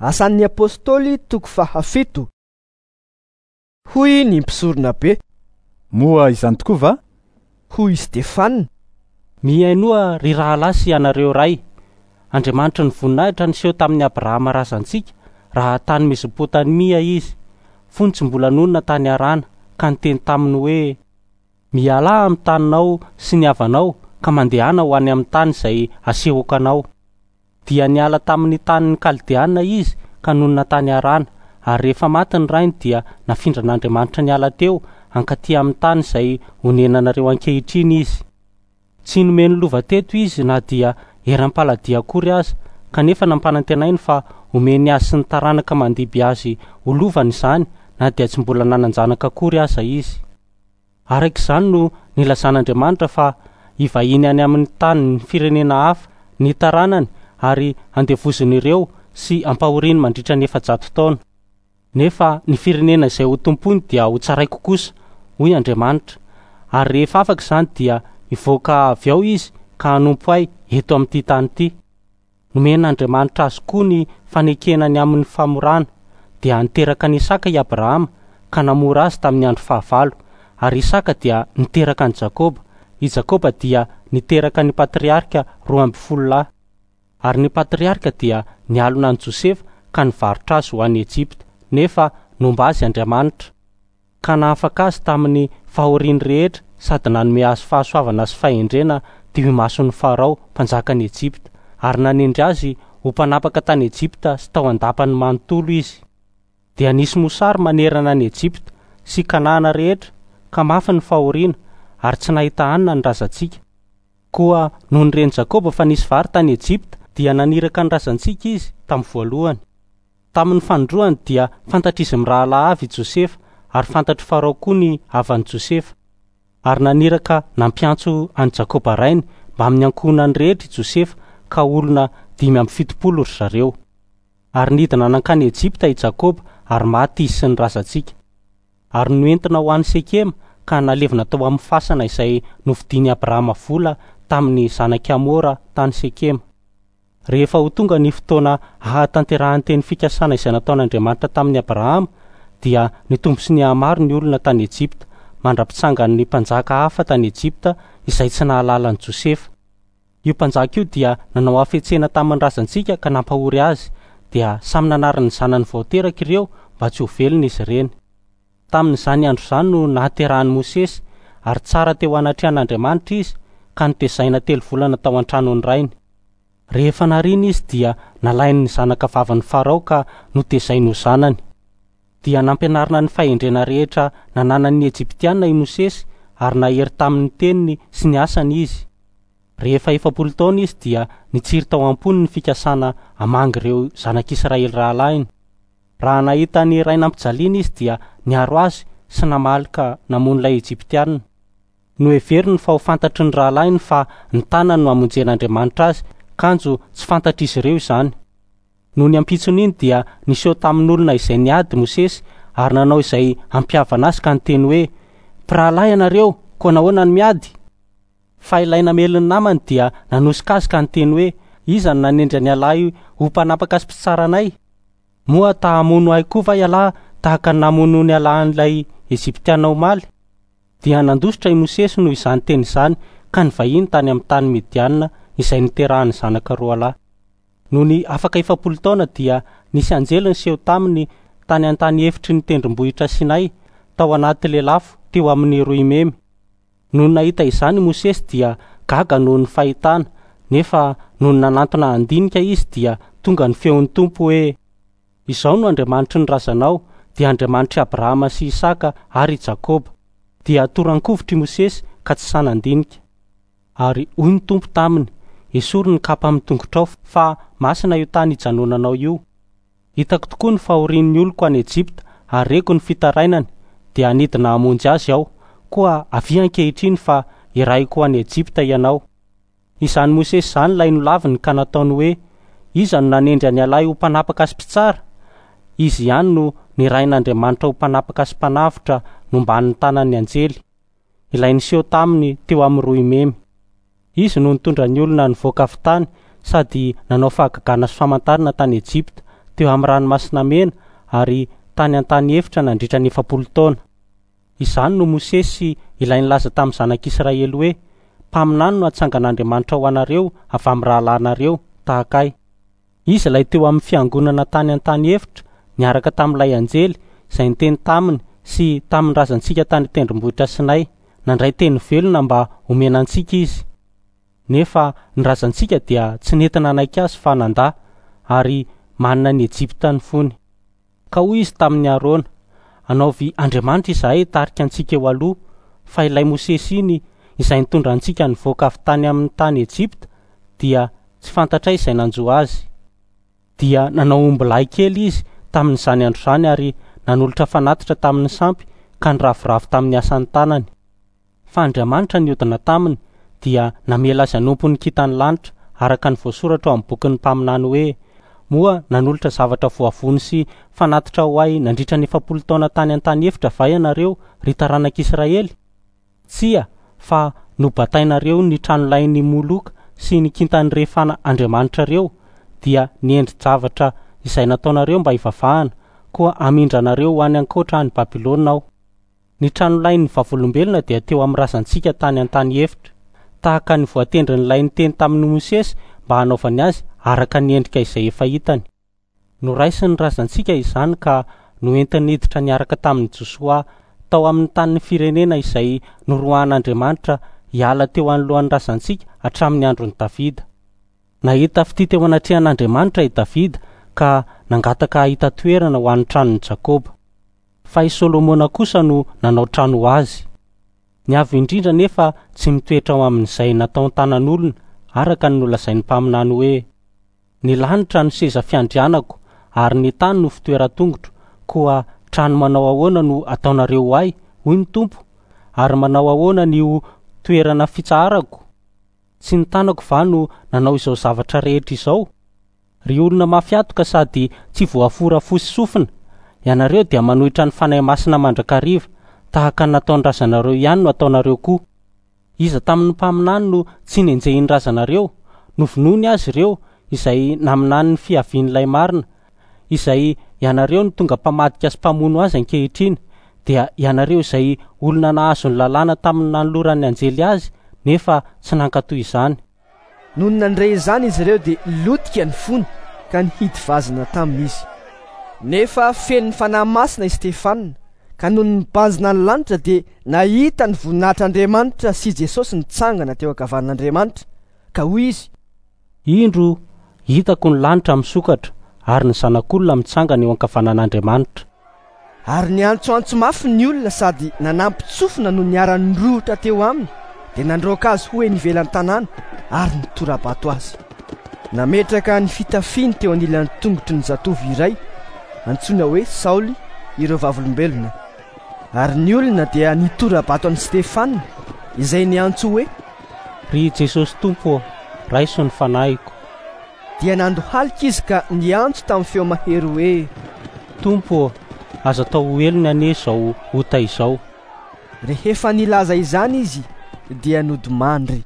Asan'ny Apostoly toko faha-7. Hoy ny mpisoronabe. Moa izany tokoa va? Hoy i Stefana. Mihainoa, ry rahalahy sy ianareo ray. Andriamanitry ny voninahitra niseho tamin'i Abrahama razantsika raha tany Mesopotamia izy, fony tsy mbola nonina tany Harana, ka niteny taminy hoe, Mialà amin'ny taninao sy ny havanao ka mandehana ho any amin'ny tany izay asehoko anao. Dia niala tamin'ny tanin'ny Kaldeana izy ka nonina tany Harana, ary rehefa maty ny rainy dia nafindran'Andriamanitra niala teo hankaty amin'ny tany izay onenanareo ankehitriny izy. Tsy nomeny lova teto izy na dia eram-paladia akory aza, kanefa nampanantenainy fa homeny azy sy ny taranaka mandimby azy ho lovany izany na dia tsy mbola nanan-janaka akory aza izy. Araka izany no nilazan'Andriamanitra fa hivahiny any amin'ny tanin'ny firenena hafa ny taranany ary handevozin'ireo sy hampahoriany mandritra ny 400 taona. Nefa ny firenena izay hotompoiny dia hotsaraiko kosa, hoy Andriamanitra, ary rehefa afaka izany dia hivoaka avy ao izy ka hanompo ahy eto amin'ity tany ity. Nomen'Andriamanitra azy koa ny fanekena ny amin'ny famorana, dia niteraka an'i Isaka i Abrahama ka namora azy tamin'ny andro fahavalo, ary Isaka dia niteraka an'i Jakoba, i Jakoba dia niteraka ny patriarika 12 lahy. Ary ny patriarika dia nialona an'i Josefa ka nivarotra azy ho any Egypta, nefa nomba azy Andriamanitra, ka nahafaka azy tamin'ny fahoriany rehetra sady nanome azy fahasoavana sy fahendrena teo imason'i Farao, mpanjakan'i Egypta, ary nanendry azy ho mpanapaka tany Egypta sy tao an-dapany manontolo izy. Dia nisy mosary manerana an'i Egypta sy Kanana rehetra, ka mafy ny fahoriana, ary tsy nahita hanina ny razantsika. Koa nony ren'i Jakoba fa nisy vary tany Egypta, dia naniraka ny razantsika izy tamin'ny voalohany. Tamin'ny fanindroany dia fantatr'izy mirahalahy avy i Josefa, ary fantatr'i Farao koa ny havan'i Josefa. Ary naniraka nampiantso an'i Jakoba rainy mbamin'ny ankohonany rehetra i Josefa, ka olona 75 ry zareo. Ary nidina nankany Egypta i Jakoba, ary maty izy sy ny razantsika. Ary noentina ho any Sekema ka nalevina tao amin'ny fasana izay novidian'i Abrahama vola tamin'ny zanak'i Hamora tany Sekema. Rehefa ho tonga ny fotoana hahatanterahan'ny teny fikasana izay nataon'Andriamanitra tamin'i Abrahama, dia nitombo sy nihamaro ny olona tany Egypta, mandra-pitsangan'ny mpanjaka hafa tany Egypta izay tsy nahalala an'i Josefa. Io mpanjaka io dia nanao hafetsena tamin'ny razantsika ka nampahory azy, dia samy nanary ny zanany vao teraka ireo mba tsy ho velona izy ireny. Tamin'izany andro izany no nahaterahan'i Mosesy, ary tsara teo anatrehan'Andriamanitra izy, ka notezaina telo volana tao an-tranon'ny rainy. Rehefa nariana izy dia nalain'ny zanaka vavin'i Farao ka notezainy ho zanany. Dia nampianarina ny fahendrena rehetra nananan'ny Egyptiana i Mosesy, ary nahery tamin'ny teniny sy ny asany izy. Rehefa 40 taona izy dia nitsiry tao am-pony ny fikasana hamangy ireo zanak'Israely rahalahiny. Raha nahita ny ray nampijaliana izy dia niaro azy sy namaly ka namono ilay Egyptiana. Noheveriny fa ho fantatry ny rahalahiny fa ny tanany no hamonjen'Andriamanitra azy, kanjo tsy fantatr'izy ireo izany. Nony ampitson'iny dia niseho tamin'olona izay niady Mosesy ary nanao izay hampihavana azy ka niteny hoe, Mpirahalahy ianareo, koa nahoana no miady? Fa ilay namely ny namany dia nanosika azy ka niteny hoe, Iza no nanendry an'ialahy ho mpanapaka sy mpitsara anay? Moa ta hamono ahy koa va ialahy tahaka ny namonoan'ialahy an'ilay Egyptiana omaly? Dia nandositra i Mosesy noho izany teny izany ka nivahiny tany amin'ny tany Midiana izay niterahany zanaka roalahy. Nony afaka 40 taona dia nisy anjely niseho taminy tany an-tany efitry ny tendrombohitra Sinay, tao anaty lelafo teo amin'ny roimemy. Nony nahita izany i Mosesy dia gaga noho ny fahitana, nefa nony nanantona handinika izy dia tonga ny feon'ny Tompo hoe, Izao no Andriamanitry ny razanao, dia Andriamanitr'i Abrahama sy Isaka ary i Jakoba. Dia toran-kovitra i Mosesy ka tsy sahy nandinika. Ary hoy ny Tompo taminy, Esory ny kapa amin'ny tongotrao, fa masina io tany ijanonanao io. Hitako tokoa ny fahorian'ny oloko any Egypta ary reko ny fitarainany, dia hanidina hamonjy azy Aho. Koa avia ankehitriny fa hirahiko ho any Egypta ianao. Izany Mosesy izany ilay nolaviny ka nataony hoe, Iza no nanendry an'ialahy ho mpanapaka sy mpitsara? Izy ihany no nirahin'Andriamanitra ho mpanapaka sy mpanavotra nomban'ny tanan'ny anjely, ilay niseho taminy teo amin'ny roimemy. Izy no nitondra ny olona nivoaka avy tany sady nanao fahagagana sy famantarana tany Egypta, teo amin'ny ranomasina mena ary tany an-tany efitra nandritra ny 40 taona. Izany no Mosesy ilay nilaza tamin'ny zanak'Israely hoe: "Mpaminany no hatsangan'Andriamanitra ho anareo avy amin'ny rahalahinareo tahaka ahy." Izy ilay teo amin'ny fiangonana tany an-tany efitra niaraka tamin'ilay anjely izay niteny taminy sy tamin'ny razantsika tany an-tendrombohitra Sinay. Nandray teny velona mba homena antsika izy. Nefa ny razantsika dia tsy nety nanaiky azy fa nandà, ary manina an'i Ejipta ny fony. Ka hoy izy tamin'i Arona: "Anaovy andriamanitra izahay hitarika antsika eo aloha, fa ilay Mosesy iny izay nitondra antsika nivoaka avy tany amin'ny tany Ejipta dia tsy fantatray izay nanjo azy." Dia nanao ombilahy kely izy tamin'izany andro izany ary nanolotra fanatitra tamin'ny sampy ka niravoravo tamin'ny asan'ny tanany. Fa Andriamanitra niodina taminy dia namela azy hanompo ny kintan'ny lanitra araka ny voasoratra ao amin'ny bokin'ny mpaminany hoe: "Moa nanolotra zavatra voavono sy fanatitra ho ahy nandritra ny 40 taona tany an-tany efitra va ianareo, ry taranak'Israely? Tsia, fa nobatainareo ny tranolain'i Moloka sy ny kintan'i Refana andriamanitrareo, dia ny endri-javatra izay nataonareo mba hivavahana, koa hamindra anareo ho any ankoatra any Babylona aho." Ny tranolain'ny vavolombelona dia teo amin'ny razantsika tany an-tany efitra, tahaka ny voatendrin'ilay niteny tamin'i Mosesy mba hanaovany azy araka ny endrika izay efa hitany. Noraisin'ny razantsika izany ka noentiny niditra niaraka tamin'i Josoa tao amin'ny tanin'ny firenena izay noroahan'Andriamanitra hiala teo anoloan'ny razantsika hatramin'ny andron'i Davida. Nahita fitia teo anatrehan'Andriamanitra i Davida ka nangataka hahita toerana ho an'ny tranon'i Jakoba. Fa i Solomona kosa no nanao trano ho azy. Ny Avo Indrindra anefa tsy mitoetra ao amin'izay nataon-tanan'olona araka ny nolazain'ny mpaminany hoe: "Ny lanitra no seza fiandrianako ary ny tany no fitoeran-tongotro, koa trano manao ahoana no ataonareo ho ahy, hoy ny Tompo, ary manao ahoana ny ho toerana fitsaharako? Tsy ny tanako va no nanao izao zavatra rehetra izao? Ry olona mafy hatoka sady tsy voafora fo sy sofina, ianareo dia manohitra ny Fanahy Masina mandrakariva, tahaka ny nataon'ny razanareo ihany no ataonareo koa. Iza tamin'ny mpaminany no tsy nenjehin'ny razanareo? Novonoiny azy ireo izay naminany ny fiavian'ilay marina, izay ianareo no tonga mpamadika sy mpamono azy ankehitriny, dia ianareo izay olona nahazo ny lalàna tamin'ny nanoloran'ny anjely azy nefa tsy nankatò izany. Nony nandre izany izy ireo dia lotika ny fony ka nihidy vazana taminy izy. Nefa feno ny Fanahy Masina i Stefana, ka nony nibanjina ny lanitra dia nahita ny voninahitr'Andriamanitra sy Jesosy nitsangana teo ankavanan'Andriamanitra, ka hoy izy: Indro, hitako ny lanitra misokatra ary ny Zanak'olona mitsangana eo ankavanan'Andriamanitra. Ary niantsoantso mafy ny olona sady nanampin-tsofina no niara-nirohotra teo aminy, dia nandroaka azy ho eny ivelan'ny tanàna ary nitora-bato azy. Nametraka ny fitafiany teo anilan'ny tongotry ny zatovo iray antsoina hoe Saoly ireo vavolombelona. Ary ny olona dia nitora-bato an'i Stefana, izay niantso hoe: Ry Jesosy Tompo ô, raiso ny fanahiko. Dia nandohalika izy ka niantso tamin'ny feo mahery hoe: Tompo ô, aza atao ho helony anie izao ota izao. Rehefa nilaza izany izy dia nodimandry.